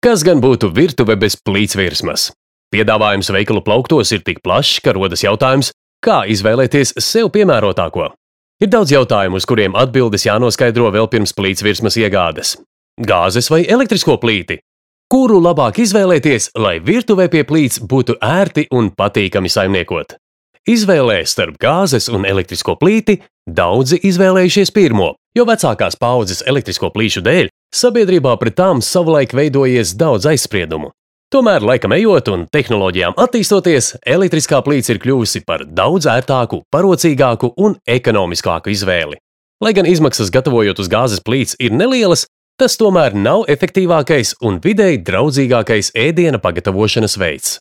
Kas gan būtu virtuve bez plītsvirsmas? Piedāvājums veikalu plauktos ir tik plašs, ka rodas jautājums, kā izvēlēties sev piemērotāko. Ir daudz jautājumu, uz kuriem atbildes jānoskaidro vēl pirms plītsvirsmas iegādes. Gāzes vai elektrisko plīti? Kuru labāk izvēlēties, lai virtuvē pie plīts būtu ērti un patīkami saimniekot? Izvēlē starp gāzes un elektrisko plīti daudzi izvēlējušies pirmo, jo vecākās paaudzes elektrisko plīšu dēļ sabiedrībā pret tām savulaik veidojies daudz aizspriedumu. Tomēr, laikam ejot un tehnoloģijām attīstoties, elektriskā plīts ir kļuvusi par daudz ērtāku, parocīgāku un ekonomiskāku izvēli. Lai gan izmaksas gatavojot uz gāzes plīts ir nelielas, tas tomēr nav efektīvākais un videi draudzīgākais ēdiena pagatavošanas veids.